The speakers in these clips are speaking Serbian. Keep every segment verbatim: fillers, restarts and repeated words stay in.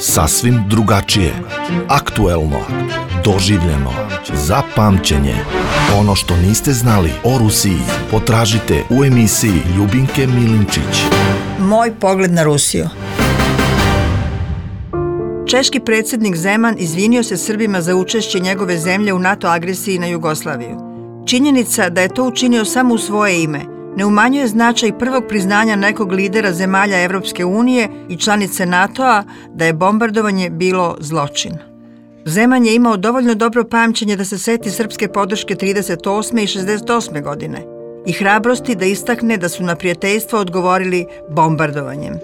Sasvim drugačije, aktuelno, doživljeno, za pamćenje. Ono što niste znali o Rusiji potražite u emisiji Ljubinke Milinčić. Moj pogled na Rusiju. Češki predsjednik Zeman izvinio se Srbima za učešće njegove zemlje u NATO agresiji na Jugoslaviju. Činjenica da je to učinio samo u svoje ime ne umanjuje značaj prvog priznanja nekog lidera zemalja Evropske unije i članice NATO-a da je bombardovanje bilo zločin. Zeman je imao dovoljno dobro pamćenje da se seti srpske podrške trideset osme i šezdeset osme godine i hrabrosti da istakne da su na prijateljstvo odgovorili bombardovanjem.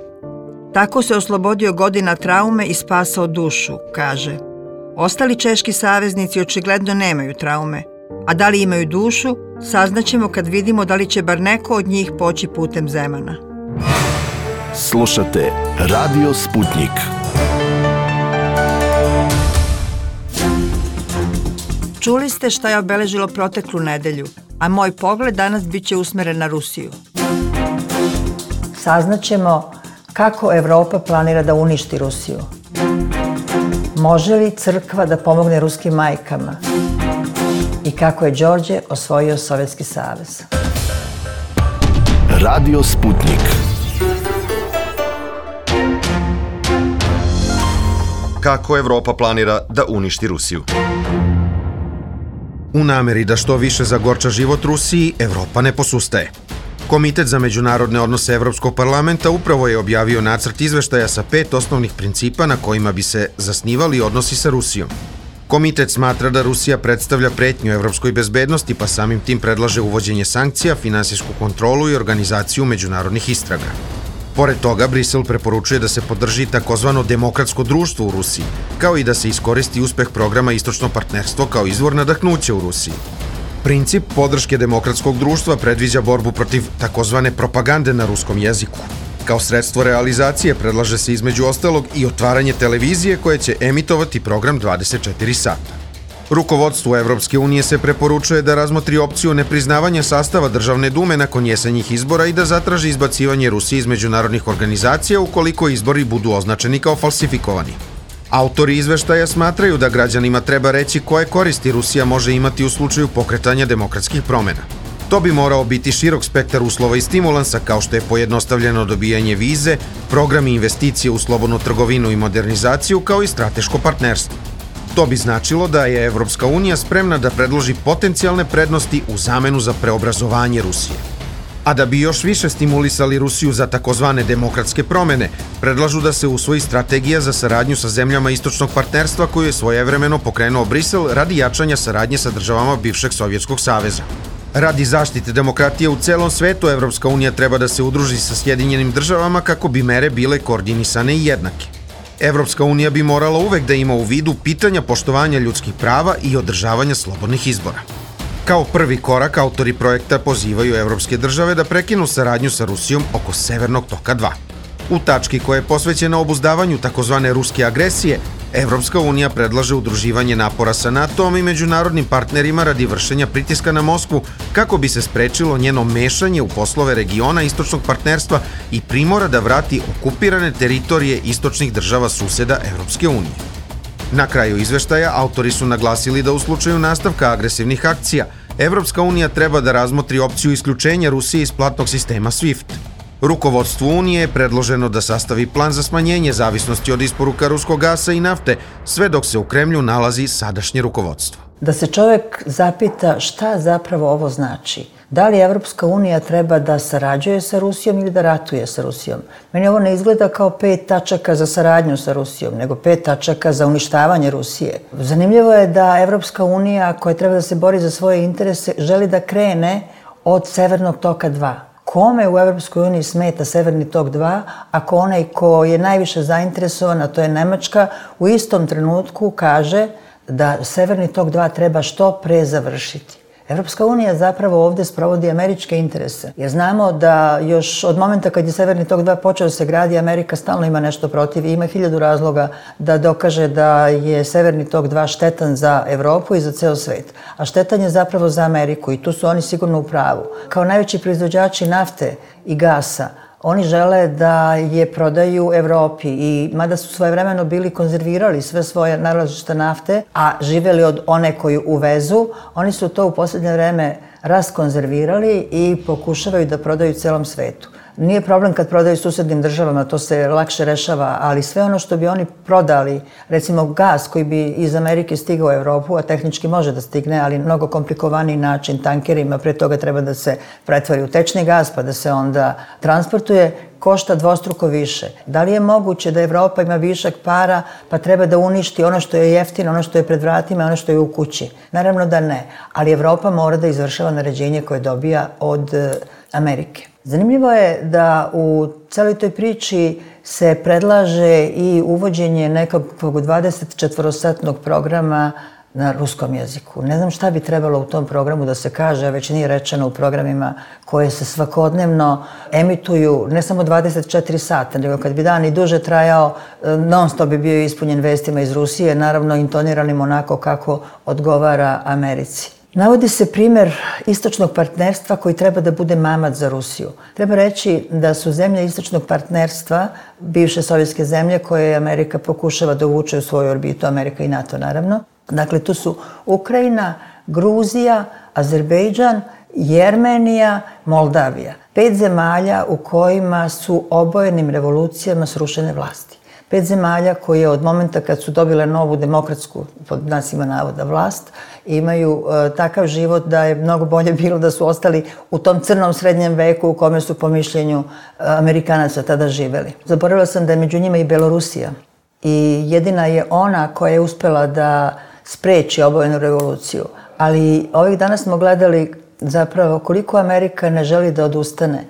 Tako se oslobodio godina traume i spasao dušu, kaže. Ostali češki saveznici očigledno nemaju traume, a da li imaju dušu, saznaćemo kad vidimo da li će bar neko od njih poći putem Zemana. Slušate Radio Sputnik. Čuli ste šta je obeležilo proteklu nedelju, a moj pogled danas bit će usmeren na Rusiju. Saznaćemo kako Evropa planira da uništi Rusiju. Može li crkva da pomogne ruskim majkama? I kako je Đorđe osvojio Sovjetski savez. Radio Sputnik. Kako Evropa planira da uništi Rusiju? U nameri da što više zagorča život Rusiji, Evropa ne posustaje. Komitet za međunarodne odnose Evropskog parlamenta upravo je objavio nacrt izveštaja sa pet osnovnih principa na kojima bi se zasnivali odnosi sa Rusijom. Komitet smatra da Rusija predstavlja pretnju evropskoj bezbednosti, pa samim tim predlaže uvođenje sankcija, finansijsku kontrolu i organizaciju međunarodnih istraga. Pored toga, Brisel preporučuje da se podrži takozvano demokratsko društvo u Rusiji, kao i da se iskoristi uspeh programa Istočno partnerstvo kao izvor nadahnuća u Rusiji. Princip podrške demokratskog društva predviđa borbu protiv takozvane propagande na ruskom jeziku. Kao sredstvo realizacije predlaže se između ostalog i otvaranje televizije koje će emitovati program dvadeset četiri sata. Rukovodstvu Evropske unije se preporučuje da razmotri opciju nepriznavanja sastava Državne dume nakon jesenjih izbora i da zatraži izbacivanje Rusije iz međunarodnih organizacija ukoliko izbori budu označeni kao falsifikovani. Autori izveštaja smatraju da građanima treba reći koje koristi Rusija može imati u slučaju pokretanja demokratskih promena. To bi morao biti širok spektar uslova i stimulansa kao što je pojednostavljeno dobijanje vize, programi investicije u slobodnu trgovinu i modernizaciju kao i strateško partnerstvo. To bi značilo da je Evropska unija spremna da predloži potencijalne prednosti u zamenu za preobrazovanje Rusije. A da bi još više stimulisali Rusiju za takozvane demokratske promene, predlažu da se usvoji strategija za saradnju sa zemljama Istočnog partnerstva koju je svojevremeno pokrenuo Brisel radi jačanja saradnje sa državama bivšeg Sovjetskog saveza. Radi zaštite demokratije u celom svetu, Evropska unija treba da se udruži sa Sjedinjenim državama kako bi mere bile koordinisane i jednake. Evropska unija bi morala uvek da ima u vidu pitanja poštovanja ljudskih prava i održavanja slobodnih izbora. Kao prvi korak, autori projekta pozivaju evropske države da prekinu saradnju sa Rusijom oko Severnog toka dva. U tački koja je posvećena obuzdavanju takozvane ruske agresije, Evropska unija predlaže udruživanje napora sa NATO-om i međunarodnim partnerima radi vršenja pritiska na Moskvu kako bi se sprečilo njeno mešanje u poslove regiona Istočnog partnerstva i primora da vrati okupirane teritorije istočnih država suseda Evropske unije. Na kraju izveštaja autori su naglasili da u slučaju nastavka agresivnih akcija, Evropska unija treba da razmotri opciju isključenja Rusije iz platnog sistema SWIFT. Rukovodstvu Unije je predloženo da sastavi plan za smanjenje zavisnosti od isporuka ruskog gasa i nafte, sve dok se u Kremlju nalazi sadašnje rukovodstvo. Da se čovjek zapita šta zapravo ovo znači. Da li Evropska unija treba da sarađuje sa Rusijom ili da ratuje sa Rusijom? Meni ovo ne izgleda kao pet tačaka za saradnju sa Rusijom, nego pet tačaka za uništavanje Rusije. Zanimljivo je da Evropska unija, koja treba da se bori za svoje interese, želi da krene od Severnog toka dva. Kome u Evropskoj uniji smeta Severni tok dva, ako onaj ko je najviše zainteresovan, a to je Nemačka, u istom trenutku kaže da Severni tok dva treba što pre završiti. Evropska unija zapravo ovdje sprovodi američke interese. Jer znamo da još od momenta kad je Severni tok dva počeo da se gradi, Amerika stalno ima nešto protiv i ima hiljadu razloga da dokaže da je Severni tok dva štetan za Evropu i za ceo svet. A štetan je zapravo za Ameriku i tu su oni sigurno u pravu. Kao najveći proizvođači nafte i gasa, Oni žele da je prodaju Evropi i mada su svojevremeno bili konzervirali sve svoje nalazišta nafte, a živeli od one koju uvezu, oni su to u posljednje vreme raskonzervirali i pokušavaju da prodaju celom svetu. Nije problem kad prodaju susednim državama, to se lakše rešava, ali sve ono što bi oni prodali, recimo gas koji bi iz Amerike stigao u Evropu, a tehnički može da stigne, ali mnogo komplikovaniji način tankerima, pre toga treba da se pretvori u tečni gas pa da se onda transportuje, košta dvostruko više. Da li je moguće da Evropa ima višak para pa treba da uništi ono što je jeftino, ono što je pred vratima, ono što je u kući? Naravno da ne, ali Evropa mora da izvršava naređenje koje dobija od Amerike. Zanimljivo je da u celoj toj priči se predlaže i uvođenje nekakvog dvadesetčetvorosatnog programa na ruskom jeziku. Ne znam šta bi trebalo u tom programu da se kaže, već nije rečeno u programima koje se svakodnevno emituju, ne samo dvadeset četiri sata, nego kad bi dan i duže trajao, non stop bi bio ispunjen vestima iz Rusije, naravno intoniranim onako kako odgovara Americi. Navodi se primer istočnog partnerstva koji treba da bude mamac za Rusiju. Treba reći da su zemlje istočnog partnerstva, bivše sovjetske zemlje koje Amerika pokušava da uvuče u svoju orbitu, Amerika i NATO naravno. Dakle, tu su Ukrajina, Gruzija, Azerbejdžan, Jermenija, Moldavija. Pet zemalja u kojima su obojenim revolucijama srušene vlasti. Pet zemalja koje od momenta kad su dobile novu demokratsku, pod znacima navoda, vlast, imaju e, takav život da je mnogo bolje bilo da su ostali u tom crnom srednjem veku u kome su po mišljenju Amerikanaca tada živeli. Zaboravila sam da je među njima i Belorusija. I jedina je ona koja je uspela da spreči obojenu revoluciju. Ali ovih dana smo gledali zapravo koliko Amerika ne želi da odustane.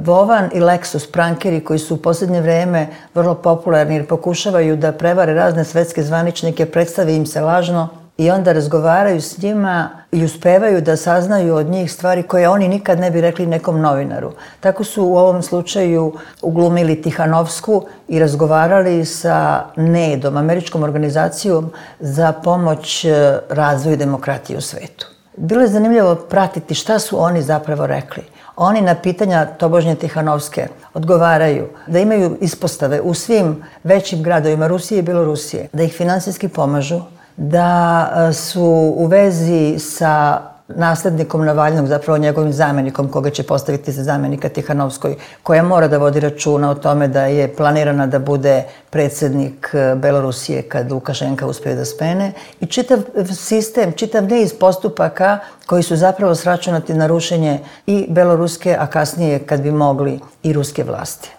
Vovan i Lexus, prankeri koji su u posljednje vreme vrlo popularni jer pokušavaju da prevare razne svetske zvaničnike, predstavi im se lažno i onda razgovaraju s njima i uspevaju da saznaju od njih stvari koje oni nikad ne bi rekli nekom novinaru. Tako su u ovom slučaju uglumili Tihanovsku i razgovarali sa NED-om, američkom organizacijom za pomoć razvoju demokratije u svetu. Bilo je zanimljivo pratiti šta su oni zapravo rekli. Oni na pitanja tobožnje Tihanovske odgovaraju da imaju ispostave u svim većim gradovima Rusije i Belorusije, da ih finansijski pomažu, da su u vezi sa naslednikom Navalnog, zapravo njegovim zamenikom koga će postaviti za zamenika Tihanovskoj, koja mora da vodi računa o tome da je planirana da bude predsjednik Belorusije kad Lukašenka uspije da spene i čitav sistem, čitav niz postupaka koji su zapravo sračunati na rušenje i beloruske, a kasnije kad bi mogli i ruske vlasti.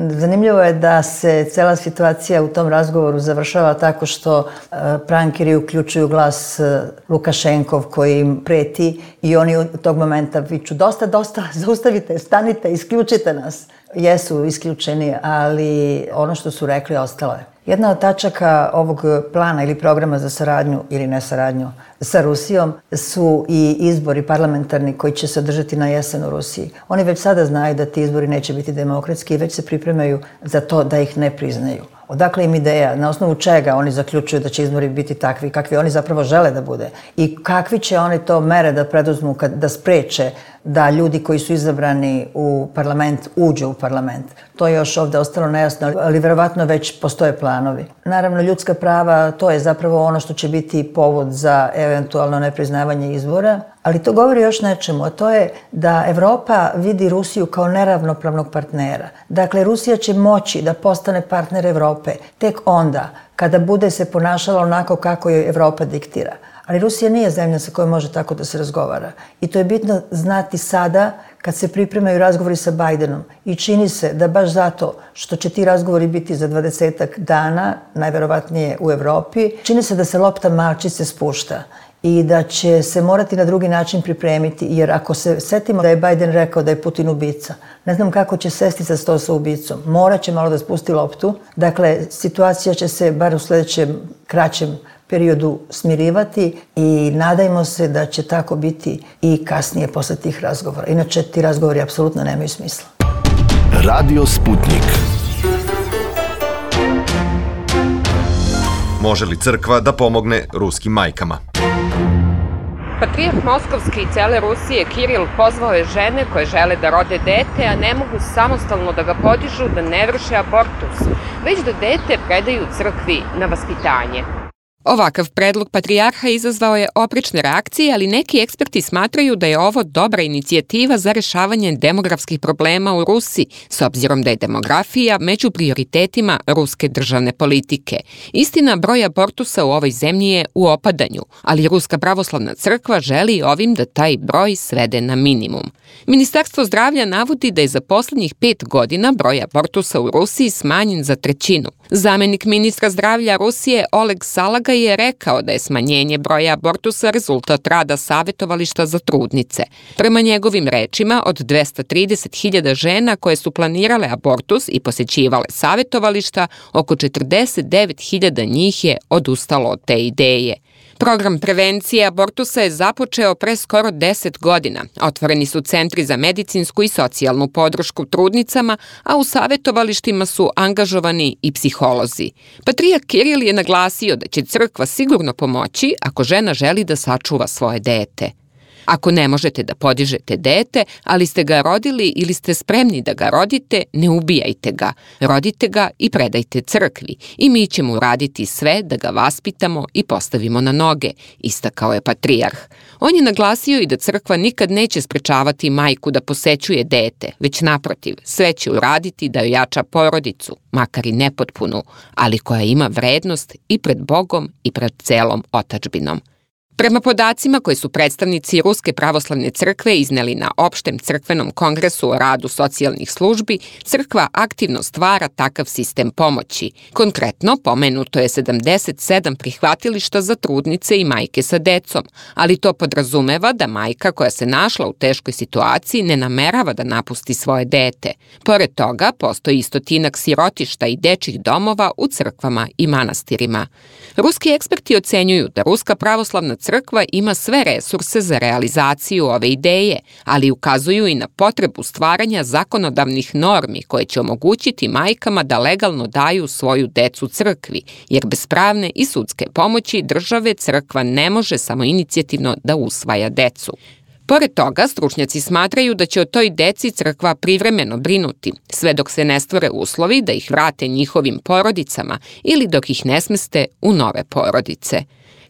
Zanimljivo je da se cela situacija u tom razgovoru završava tako što prankeri uključuju glas Lukašenkov koji im preti i oni u tog momenta viču dosta, dosta, zaustavite, stanite, isključite nas. Jesu isključeni, ali ono što su rekli ostalo je. Jedna od tačaka ovog plana ili programa za saradnju ili nesaradnju sa Rusijom su i izbori parlamentarni koji će se održati na jesen u Rusiji. Oni već sada znaju da ti izbori neće biti demokratski i već se pripremaju za to da ih ne priznaju. Odakle im ideja, na osnovu čega oni zaključuju da će izbori biti takvi, kakvi oni zapravo žele da bude i kakvi će oni to mere da preduzmu kad, da spreče da ljudi koji su izabrani u parlament uđu u parlament. To je još ovdje ostalo nejasno, ali verovatno već postoje planovi. Naravno, ljudska prava, to je zapravo ono što će biti povod za eventualno nepriznavanje izbora, ali to govori još nečemu, a to je da Evropa vidi Rusiju kao neravnopravnog partnera. Dakle, Rusija će moći da postane partner Evrope tek onda kada bude se ponašala onako kako joj Evropa diktira. Ali Rusija nije zemlja sa kojom može tako da se razgovara. I to je bitno znati sada kad se pripremaju razgovori sa Bajdenom. I čini se da baš zato što će ti razgovori biti za dvadesetak dana, najverovatnije u Evropi, čini se da se lopta malčice spušta i da će se morati na drugi način pripremiti, jer ako se setimo da je Bajden rekao da je Putin ubica, ne znam kako će sesti za sto sa ubicom. Morat će malo da spusti loptu. Dakle, situacija će se bar u sljedećem kraćem periodu smirivati i nadajmo se da će tako biti i kasnije posle tih razgovora. Inače, ti razgovori apsolutno nemaju smisla. Radio Sputnik. Može li crkva da pomogne ruskim majkama? Patrijarh Moskovski i cele Rusije Kiril pozvao je žene koje žele da rode dete, a ne mogu samostalno da ga podižu, da ne vrše abortus, već da dete predaju crkvi na vaspitanje. Ovakav predlog patrijarha izazvao je oprečne reakcije, ali neki eksperti smatraju da je ovo dobra inicijativa za rešavanje demografskih problema u Rusiji, s obzirom da je demografija među prioritetima ruske državne politike. Istina, broj abortusa u ovoj zemlji je u opadanju, ali Ruska pravoslavna crkva želi ovim da taj broj svede na minimum. Ministarstvo zdravlja navodi da je za poslednjih pet godina broj abortusa u Rusiji smanjen za trećinu. Zamenik ministra zdravlja Rusije Oleg Salaga je rekao da je smanjenje broja abortusa rezultat rada savetovališta za trudnice. Prema njegovim rečima, od dvesta trideset hiljada žena koje su planirale abortus i posećivale savetovališta, oko četrdeset devet hiljada njih je odustalo od te ideje. Program prevencije abortusa je započeo pre skoro deset godina. Otvoreni su centri za medicinsku i socijalnu podršku trudnicama, a u savetovalištima su angažovani i psiholozi. Patrijarh Kiril je naglasio da će crkva sigurno pomoći ako žena želi da sačuva svoje dete. Ako ne možete da podižete dete, ali ste ga rodili ili ste spremni da ga rodite, ne ubijajte ga. Rodite ga i predajte crkvi i mi ćemo uraditi sve da ga vaspitamo i postavimo na noge, istakao je patrijarh. On je naglasio i da crkva nikad neće sprečavati majku da posećuje dete, već naprotiv, sve će uraditi da ojača porodicu, makar i nepotpunu, ali koja ima vrednost i pred Bogom i pred celom otadžbinom. Prema podacima koje su predstavnici Ruske pravoslavne crkve izneli na opštem crkvenom kongresu o radu socijalnih službi, crkva aktivno stvara takav sistem pomoći. Konkretno, pomenuto je sedamdeset sedam prihvatilišta za trudnice i majke sa decom, ali to podrazumeva da majka koja se našla u teškoj situaciji ne namerava da napusti svoje dete. Pored toga, postoji i stotinak sirotišta i dečjih domova u crkvama i manastirima. Ruski eksperti ocenjuju da Ruska pravoslavna crkva ima sve resurse za realizaciju ove ideje, ali ukazuju i na potrebu stvaranja zakonodavnih normi koje će omogućiti majkama da legalno daju svoju decu crkvi, jer bez pravne i sudske pomoći države crkva ne može samoinicijativno da usvaja decu. Pored toga, stručnjaci smatraju da će o toj deci crkva privremeno brinuti, sve dok se ne stvore uslovi da ih vrate njihovim porodicama ili dok ih ne smeste u nove porodice.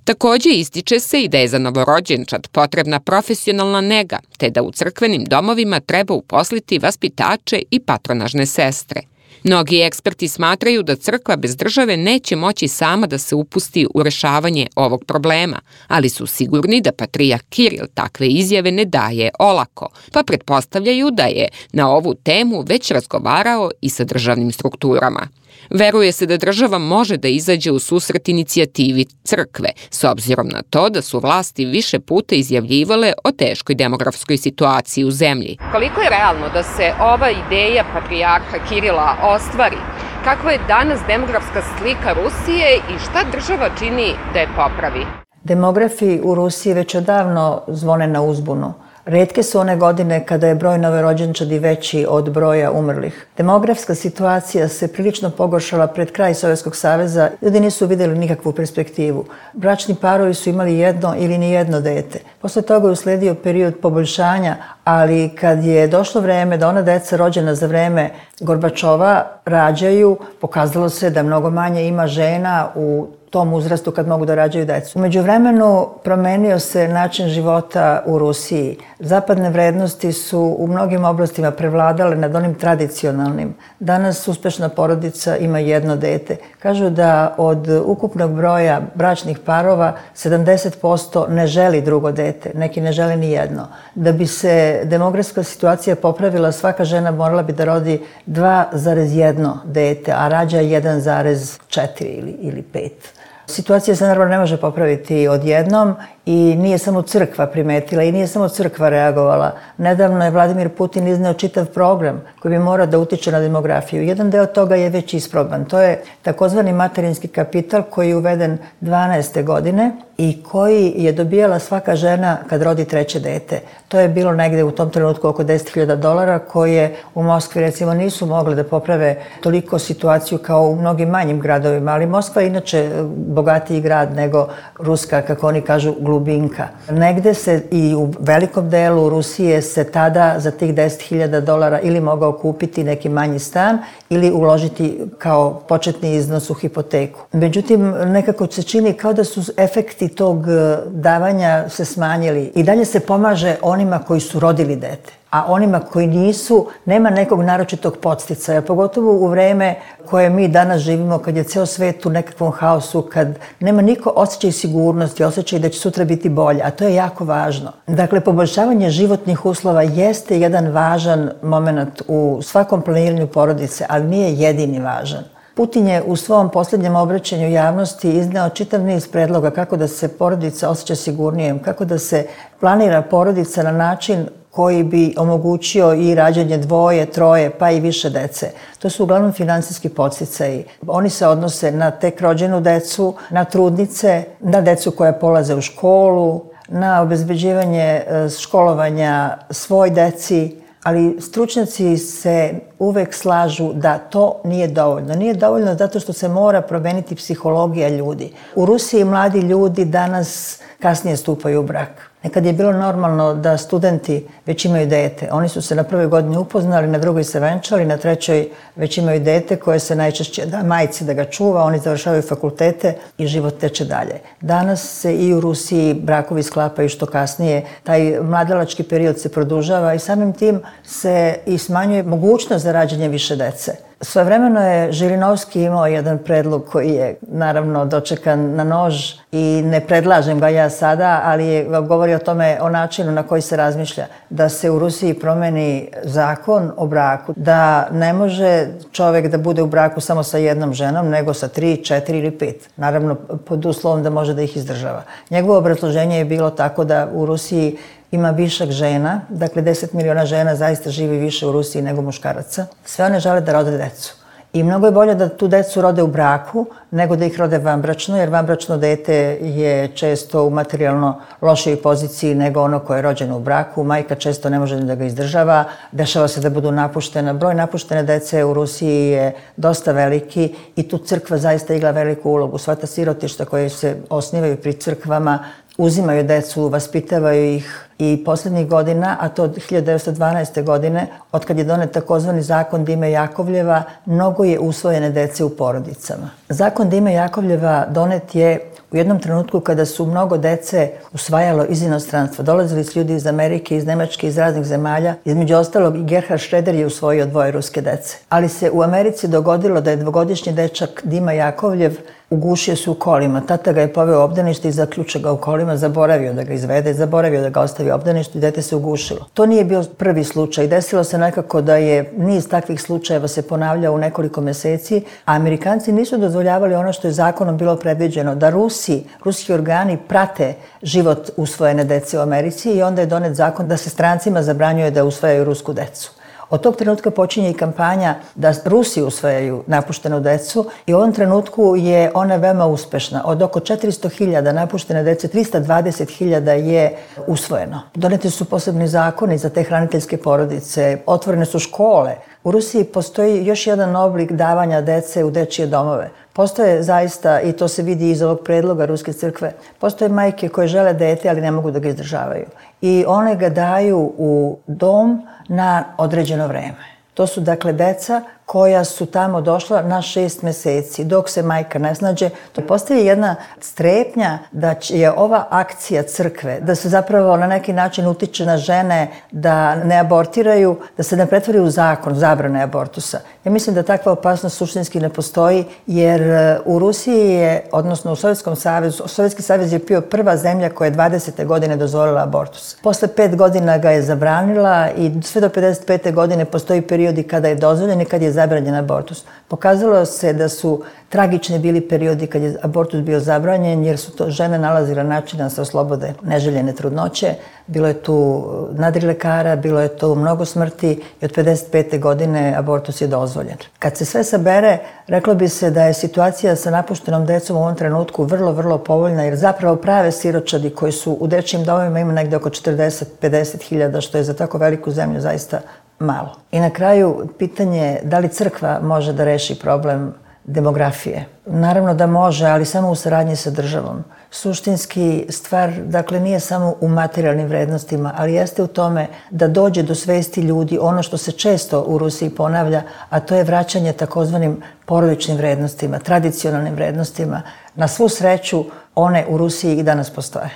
Takođe ističe se i da je za novorođenčad potrebna profesionalna nega, te da u crkvenim domovima treba uposliti vaspitače i patronažne sestre. Mnogi eksperti smatraju da crkva bez države neće moći sama da se upusti u rešavanje ovog problema, ali su sigurni da patrijarh Kiril takve izjave ne daje olako, pa pretpostavljaju da je na ovu temu već razgovarao i sa državnim strukturama. Veruje se da država može da izađe u susret inicijativi crkve, s obzirom na to da su vlasti više puta izjavljivale o teškoj demografskoj situaciji u zemlji. Koliko je realno da se ova ideja patrijarha Kirila ostvari? Kakva je danas demografska slika Rusije i šta država čini da je popravi? Demografi u Rusiji već odavno zvone na uzbunu. Retke su one godine kada je broj novorođenčadi veći od broja umrlih. Demografska situacija se prilično pogoršala pred kraj Sovjetskog saveza. Ljudi nisu vidjeli nikakvu perspektivu. Bračni parovi su imali jedno ili ni jedno dete. Posle toga je usledio period poboljšanja, ali kad je došlo vreme da ona deca rođena za vreme Gorbačova rađaju, pokazalo se da mnogo manje ima žena u tom uzrastu kad mogu da rađaju decu. U međuvremenu promenio se način života u Rusiji. Zapadne vrednosti su u mnogim oblastima prevladale nad onim tradicionalnim. Danas uspešna porodica ima jedno dete. Kažu da od ukupnog broja bračnih parova sedamdeset posto ne želi drugo dete, neki ne žele ni jedno. Da bi se demografska situacija popravila, svaka žena morala bi da rodi dva zarez jedan dete, a rađa jedan zarez četiri ili, ili pet. Situacija se naravno ne može popraviti odjednom i nije samo crkva primetila i nije samo crkva reagovala. Nedavno je Vladimir Putin izneo čitav program koji bi morao da utiče na demografiju. Jedan deo toga je već isproban. To je takozvani materinski kapital koji je uveden dvanaeste godine i koji je dobijala svaka žena kad rodi treće dete. To je bilo negde u tom trenutku oko deset hiljada dolara koje u Moskvi recimo nisu mogle da poprave toliko situaciju kao u mnogim manjim gradovima, ali Moskva je inače bogatiji grad nego ruska, kako oni kažu, Lubinka. Negde se i u velikom delu Rusije se tada za tih deset hiljada dolara ili mogao kupiti neki manji stan ili uložiti kao početni iznos u hipoteku. Međutim, nekako se čini kao da su efekti tog davanja se smanjili. I dalje se pomaže onima koji su rodili dete. A onima koji nisu, nema nekog naročitog podsticaja, pogotovo u vreme koje mi danas živimo, kad je ceo svet u nekakvom haosu, kad nema niko osjećaj sigurnosti, osjećaj da će sutra biti bolje, a to je jako važno. Dakle, poboljšavanje životnih uslova jeste jedan važan moment u svakom planiranju porodice, ali nije jedini važan. Putin je u svom posljednjem obraćanju javnosti izneo čitav niz predloga kako da se porodica osjeća sigurnijem, kako da se planira porodica na način koji bi omogućio i rađanje dvoje, troje, pa i više dece. To su uglavnom finansijski podsticaji. Oni se odnose na tek rođenu decu, na trudnice, na decu koja polaze u školu, na obezbeđivanje školovanja svoj deci, ali stručnjaci se uvek slažu da to nije dovoljno. Nije dovoljno zato što se mora promeniti psihologija ljudi. U Rusiji mladi ljudi danas kasnije stupaju u brak. Nekad je bilo normalno da studenti već imaju dete. Oni su se na prvoj godini upoznali, na drugoj se venčali, na trećoj već imaju dete koje se najčešće da majci da ga čuva, oni završavaju fakultete i život teče dalje. Danas se i u Rusiji brakovi sklapaju što kasnije, taj mladalački period se produžava i samim tim se i smanjuje mogućnost za rađanje više dece. Svojevremeno je Žirinovski imao jedan predlog koji je naravno dočekan na nož i ne predlažem ga ja sada, ali je, govori o tome, o načinu na koji se razmišlja. Da se u Rusiji promeni zakon o braku, da ne može čovek da bude u braku samo sa jednom ženom, nego sa tri, četiri ili pet. Naravno, pod uslovom da može da ih izdržava. Njegovo obrazloženje je bilo tako da u Rusiji ima višak žena, dakle deset miliona žena zaista živi više u Rusiji nego muškaraca. Sve one žele da rode decu. I mnogo je bolje da tu decu rode u braku nego da ih rode vanbračno, jer vanbračno dete je često u materijalno lošoj poziciji nego ono koje je rođeno u braku. Majka često ne može da ga izdržava, dešava se da budu napuštena. Broj napuštene dece u Rusiji je dosta veliki i tu crkva zaista igra veliku ulogu. Sva ta sirotišta koje se osnivaju pri crkvama uzimaju decu, vaspitavaju ih i poslednjih godina, a to od hiljadu devetsto dvanaeste. godine, od kad je donet takozvani zakon Dime Jakovljeva, mnogo je usvojene dece u porodicama. Zakon Dime Jakovljeva donet je u jednom trenutku kada su mnogo dece usvajalo iz inostranstva. Dolazili su ljudi iz Amerike, iz Nemačke, iz raznih zemalja. Između ostalog i Gerhard Schröder je usvojio dvoje ruske dece. Ali se u Americi dogodilo da je dvogodišnji dečak Dima Jakovljev ugušio se u kolima. Tata ga je poveo u obdanište i zaključao ga u kolima, zaboravio da ga izvede, zaboravio da ga ostavi u obdaništu i dete se ugušilo. To nije bio prvi slučaj. Desilo se nekako da je niz takvih slučajeva se ponavljao u nekoliko meseci, a Amerikanci nisu dozvoljavali ono što je zakonom bilo predviđeno, da Rusi, ruski organi prate život usvojene dece u Americi i onda je donet zakon da se strancima zabranjuje da usvajaju rusku decu. Od tog trenutka počinje i kampanja da Rusi usvajaju napuštenu decu i u ovom trenutku je ona veoma uspešna. Od oko četiristo hiljada napuštene dece, trista dvadeset hiljada je usvojeno. Doneti su posebni zakoni za te hraniteljske porodice, otvorene su škole. U Rusiji postoji još jedan oblik davanja dece u dečije domove. Postoje zaista, i to se vidi iz ovog predloga Ruske crkve, postoje majke koje žele dete, ali ne mogu da ga izdržavaju. I one ga daju u dom na određeno vreme. To su dakle deca koja su tamo došla na šest meseci, dok se majka ne snađe. To postaje jedna strepnja da je ova akcija crkve, da se zapravo na neki način utiče na žene da ne abortiraju, da se ne pretvori u zakon zabrane abortusa. Ja mislim da takva opasnost suštinski ne postoji, jer u Rusiji je, odnosno u Sovjetskom savezu, Sovjetski savez je bio prva zemlja koja je dvadesete godine dozvolila abortus. Posle pet godina ga je zabranila i sve do pedeset pete godine postoji periodi kada je dozvoljen i kad je zabranjen abortus. Pokazalo se da su tragični bili periodi kad je abortus bio zabranjen, jer su to žene nalazile način da se oslobode neželjene trudnoće. Bilo je tu nadrilekara, bilo je tu mnogo smrti i od pedeset pete godine abortus je dozvoljen. Kad se sve sabere, reklo bi se da je situacija sa napuštenom decom u ovom trenutku vrlo, vrlo povoljna, jer zapravo prave siročadi koji su u dečijim domovima ima negde oko četrdeset do pedeset hiljada, što je za tako veliku zemlju zaista malo. I na kraju pitanje da li crkva može da reši problem demografije. Naravno da može, ali samo u saradnji sa državom. Suštinski stvar, dakle, nije samo u materijalnim vrednostima, ali jeste u tome da dođe do svesti ljudi ono što se često u Rusiji ponavlja, a to je vraćanje takozvanim porodičnim vrednostima, tradicionalnim vrednostima. Na svu sreću, one u Rusiji i danas postoje.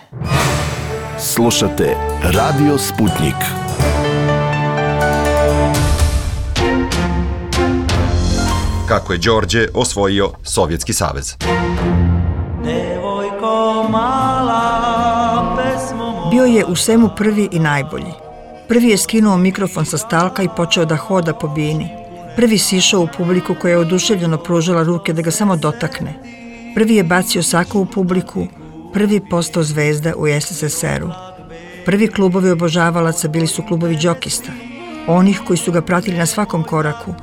Slušate Radio Sputnik. Kako je Đorđe osvojio Sovjetski savez. Bio je u svemu prvi i najbolji. Prvi je skinuo mikrofon sa stalka i počeo da hoda po bini. Prvi sišao u publiku koja je oduševljeno pružala ruke da ga samo dotakne. Prvi je bacio sako u publiku, prvi postao zvezda u es es es er-u. Prvi klubovi obožavalaca bili su klubovi džokista, onih koji su ga pratili na svakom koraku,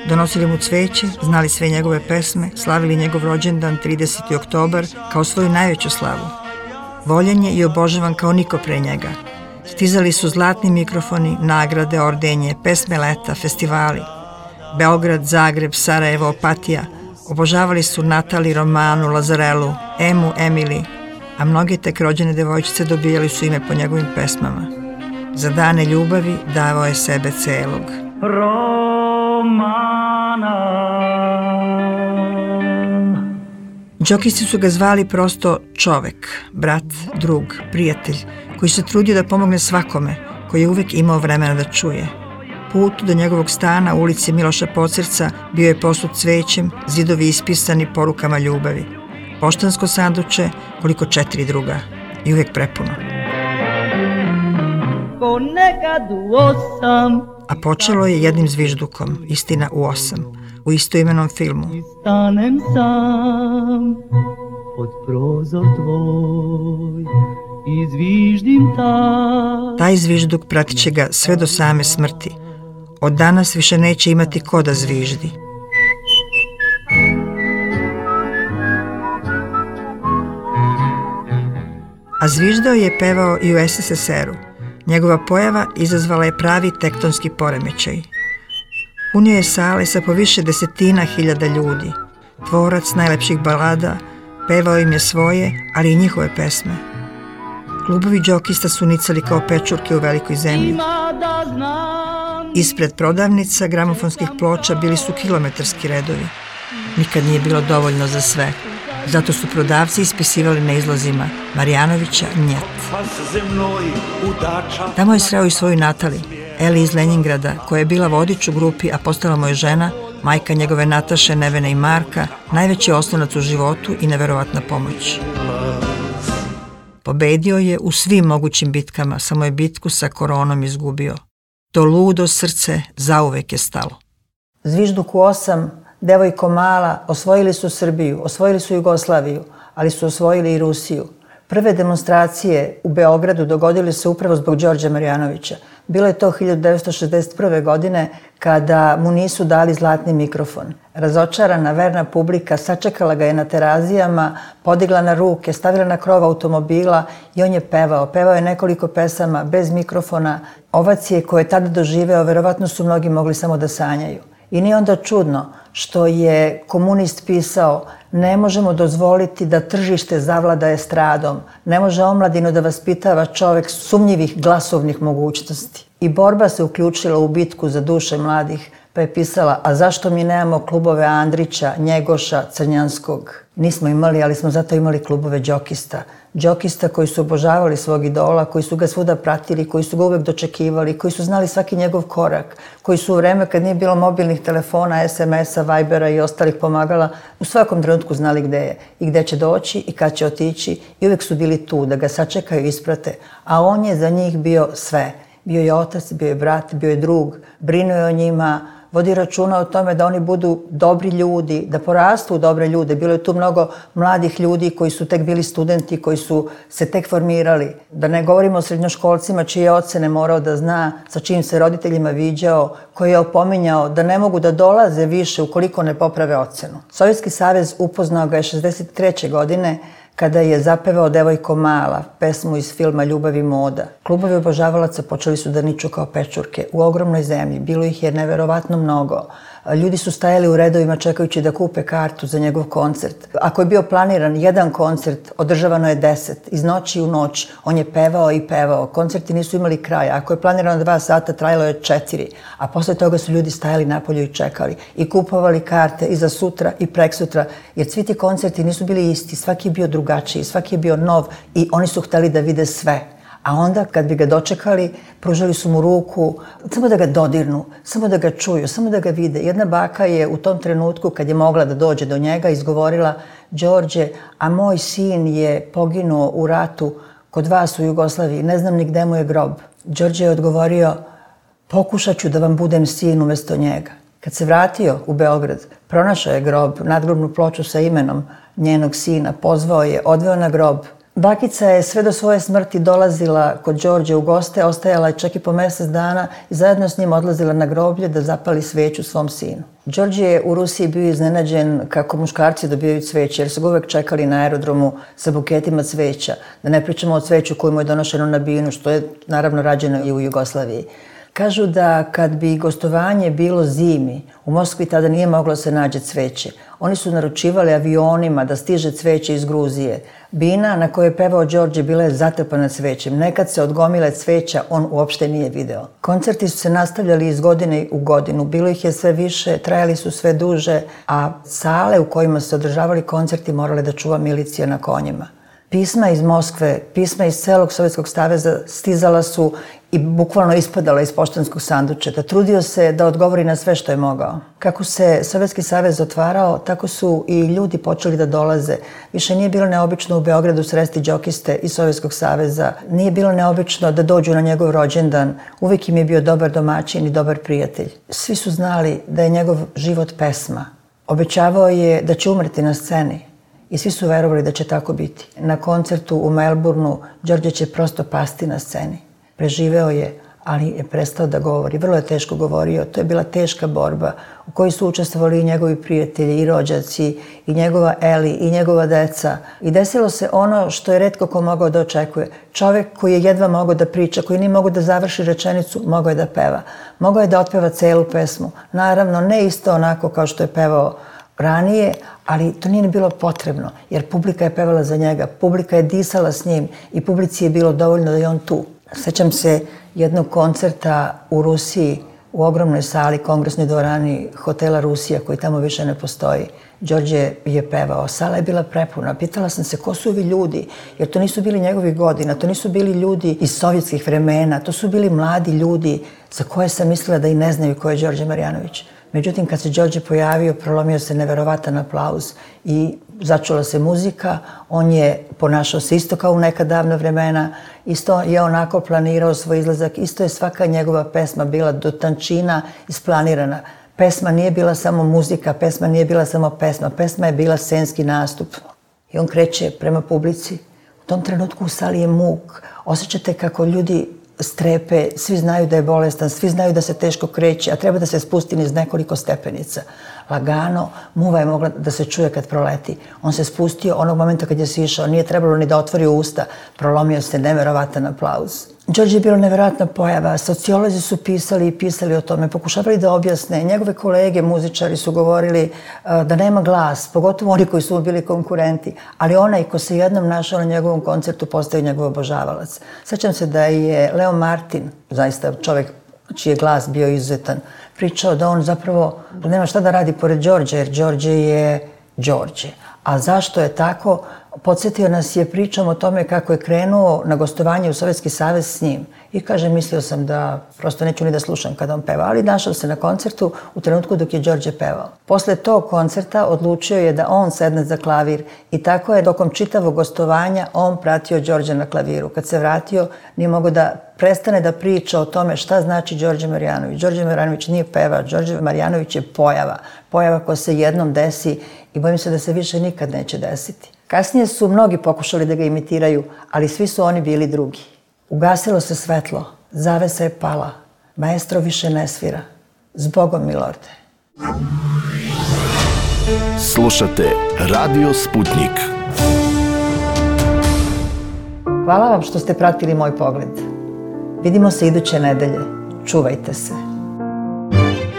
donosili mu cveće, znali sve njegove pesme, slavili njegov rođendan trideseti oktobar kao svoju najveću slavu. Voljen je i obožavan kao niko pre njega. Stizali su zlatni mikrofoni, nagrade, ordenje, pesme leta, festivali. Beograd, Zagreb, Sarajevo, Opatija. Obožavali su Natali, Romanu, Lazarelu, Emu, Emili, a mnoge tek rođene devojčice dobijali su ime po njegovim pesmama. Za dane ljubavi davao je sebe celog. Džokisti su ga zvali prosto čovek, brat, drug, prijatelj, koji se trudio da pomogne svakome, koji je uvek imao vremena da čuje. Put do njegovog stana u ulici Miloša Pocerca bio je posut cvećem, zidovi ispisani porukama ljubavi. Poštansko sanduče, koliko četiri druga, i uvek prepuno. Ponekad u osam. A počelo je jednim zviždukom, istina u osam, u istoimenom filmu. Stanem sam pod prozor tvoj i zviždim taj. Taj zvižduk pratit će ga sve do same smrti. Od danas više neće imati ko da zviždi. A zviždao je pevao i u es es es er-u. Njegova pojava izazvala je pravi tektonski poremećaj. Punio je sale sa po više desetina hiljada ljudi. Tvorac najlepših balada, pevao im je svoje, ali i njihove pesme. Klubovi džokista su nicali kao pečurke u velikoj zemlji. Ispred prodavnica gramofonskih ploča bili su kilometarski redovi. Nikad nije bilo dovoljno za sve. Zato su prodavci ispisivali na izlazima Marjanovića njet. Tamo je sreo i svoju Natali, Eli iz Leningrada, koja je bila vodič u grupi, a postala mu je žena, majka njegove Nataše, Nevene i Marka, najveći oslonac u životu i neverovatna pomoć. Pobedio je u svim mogućim bitkama, samo je bitku sa koronom izgubio. To ludo srce zauvek je stalo. Zvižduk u osam, devojko mala, osvojili su Srbiju, osvojili su Jugoslaviju, ali su osvojili i Rusiju. Prve demonstracije u Beogradu dogodile se upravo zbog Đorđa Marjanovića. Bilo je to hiljadu devetsto šezdeset prve. godine kada mu nisu dali zlatni mikrofon. Razočarana, verna publika sačekala ga je na terazijama, podigla na ruke, stavila na krov automobila i on je pevao. Pevao je nekoliko pesama bez mikrofona. Ovacije koje je tada doživeo, verovatno su mnogi mogli samo da sanjaju. I nije onda čudno što je komunist pisao: ne možemo dozvoliti da tržište zavlada estradom, ne može omladinu da vaspitava čovek sumnjivih glasovnih mogućnosti. I borba se uključila u bitku za duše mladih, pa je pisala: a zašto mi nemamo klubove Andrića, Njegoša, Crnjanskog? Nismo imali, ali smo zato imali klubove džokista. Džokista koji su obožavali svog idola, koji su ga svuda pratili, koji su ga uvek dočekivali, koji su znali svaki njegov korak, koji su u vreme kad nije bilo mobilnih telefona, es em es-a, Vibera i ostalih pomagala, u svakom trenutku znali gde je i gde će doći i kad će otići i uvek su bili tu da ga sačekaju i isprate, a on je za njih bio sve. Bio je otac, bio je brat, bio je drug, brinuo je o njima, vodi računa o tome da oni budu dobri ljudi, da porastu u dobre ljude. Bilo je tu mnogo mladih ljudi koji su tek bili studenti, koji su se tek formirali. Da ne govorimo o srednjoškolcima čije ocene morao da zna, sa čijim se roditeljima viđao, koji je opominjao da ne mogu da dolaze više ukoliko ne poprave ocenu. Sovjetski savez upoznao ga je šezdeset treće. godine kada je zapevao Devojko mala, pesmu iz filma Ljubav i moda. Klubovi obožavalaca počeli su da niču kao pečurke u ogromnoj zemlji. Bilo ih je neverovatno mnogo. Ljudi su stajali u redovima čekajući da kupe kartu za njegov koncert. Ako je bio planiran jedan koncert, održavano je deset. Iz noći u noć on je pevao i pevao. Koncerti nisu imali kraja. Ako je planirano dva sata, trajalo je četiri. A posle toga su ljudi stajali napolju i čekali. I kupovali karte i za sutra i preksutra. Jer svi ti koncerti nisu bili isti. Svaki je bio drugačiji, svaki je bio nov i oni su hteli da vide sve. A onda, kad bi ga dočekali, pružali su mu ruku, samo da ga dodirnu, samo da ga čuju, samo da ga vide. Jedna baka je u tom trenutku, kad je mogla da dođe do njega, izgovorila: Đorđe, a moj sin je poginuo u ratu kod vas u Jugoslaviji, ne znam ni gde mu je grob. Đorđe je odgovorio: pokušat ću da vam budem sin umesto njega. Kad se vratio u Beograd, pronašao je grob, nadgrobnu ploču sa imenom njenog sina, pozvao je, odveo na grob. Bakica je sve do svoje smrti dolazila kod Đorđe u goste, ostajala je čak i po mesec dana i zajedno s njim odlazila na groblje da zapali sveću svom sinu. Đorđe je u Rusiji bio iznenađen kako muškarci dobijaju cveće, jer su ga uvek čekali na aerodromu sa buketima cveća. Da ne pričamo o cveću koju mu je donošeno na binu, što je naravno rađeno i u Jugoslaviji. Kažu da kad bi gostovanje bilo zimi, u Moskvi tada nije moglo se nađe cveće. Oni su naručivali avionima da stiže cveće iz Gruzije. Bina na kojoj je pevao Đorđe bila je zatrpana cvećem. Nekad se od gomile cveća on uopšte nije video. Koncerti su se nastavljali iz godine u godinu. Bilo ih je sve više, trajali su sve duže, a sale u kojima se održavali koncerti morale da čuva milicija na konjima. Pisma iz Moskve, pisma iz celog Sovjetskog saveza stizala su i bukvalno ispadala iz poštanskog sandučeta. Trudio se da odgovori na sve što je mogao. Kako se Sovjetski savez otvarao, tako su i ljudi počeli da dolaze. Više nije bilo neobično u Beogradu sresti džokiste iz Sovjetskog saveza. Nije bilo neobično da dođu na njegov rođendan. Uvijek im je bio dobar domaćin i dobar prijatelj. Svi su znali da je njegov život pesma. Obećavao je da će umreti na sceni. I svi su verovali da će tako biti. Na koncertu u Melbourneu Đorđe će prosto pasti na sceni. Preživeo je, ali je prestao da govori. Vrlo je teško govorio. To je bila teška borba u kojoj su učestvovali i njegovi prijatelji, i rođaci, i njegova Eli, i njegova deca. I desilo se ono što je retko ko mogao da očekuje. Čovek koji je jedva mogao da priča, koji nije mogao da završi rečenicu, mogao je da peva. Mogao je da otpeva celu pesmu. Naravno, ne isto onako kao što je pevao ranije, ali to nije bilo potrebno, jer publika je pevala za njega, publika je disala s njim i publici je bilo dovoljno da je on tu. Sećam se jednog koncerta u Rusiji, u ogromnoj sali, kongresnoj dvorani hotela Rusija, koji tamo više ne postoji. Đorđe je pevao, sala je bila prepuna. Pitala sam se ko su ovi ljudi, jer to nisu bili njegovi godina, to nisu bili ljudi iz sovjetskih vremena, to su bili mladi ljudi za koje sam mislila da i ne znaju ko je Đorđe Marjanović. Međutim, kad se Đorđe pojavio, prolomio se neverovatan aplauz i začula se muzika. On je ponašao se isto kao u neka davna vremena, isto je onako planirao svoj izlazak, isto je svaka njegova pesma bila do tančina isplanirana. Pesma nije bila samo muzika, pesma nije bila samo pesma, pesma je bila scenski nastup. I on kreće prema publici. U tom trenutku u sali je muk. Osjećate kako ljudi strepe, svi znaju da je bolestan, svi znaju da se teško kreće, a treba da se spusti niz nekoliko stepenica. Lagano, muva je mogla da se čuje kad proleti. On se spustio onog momenta kad je sišao, nije trebalo ni da otvori usta, prolomio se neverovatan aplauz. Đorđe je bilo neverovatna pojava, sociolozi su pisali i pisali o tome, pokušavali da objasne. Njegove kolege, muzičari su govorili da nema glas, pogotovo oni koji su mu bili konkurenti, ali onaj ko se jednom našao na njegovom koncertu postao njegov obožavalac. Sećam se da je Leo Martin, zaista čovjek čiji je glas bio izuzetan, pričao da on zapravo nema šta da radi pored Đorđe, jer Đorđe je Đorđe. A zašto je tako? Podsjetio nas je pričom o tome kako je krenuo na gostovanje u Sovjetski savez s njim. I kaže, mislio sam da prosto neću ni da slušam kada on peva, ali našao se na koncertu u trenutku dok je Đorđe pevao. Posle tog koncerta odlučio je da on sedne za klavir i tako je tokom čitavog gostovanja on pratio Đorđe na klaviru. Kad se vratio, nije mogao da prestane da priča o tome šta znači Đorđe Marjanović. Đorđe Marjanović nije pevač, Đorđe Marjanović je pojava. Pojava koja se jednom desi i bojim se da se više nikad neće desiti. Kasnije su mnogi pokušali da ga imitiraju, ali svi su oni bili drugi. Ugasilo se svetlo, zavesa je pala, maestro više ne svira. Zbogom, milorde. Slušate Radio Sputnik. Hvala vam što ste pratili moj pogled. Vidimo se iduće nedelje. Čuvajte se.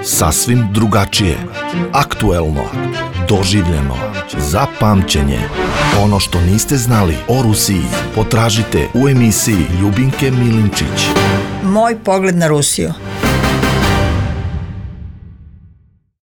Sasvim drugačije, aktuelno, doživljeno, za pamćenje. Ono što niste znali o Rusiji potražite u emisiji Ljubinke Milinčić. Moj pogled na Rusiju.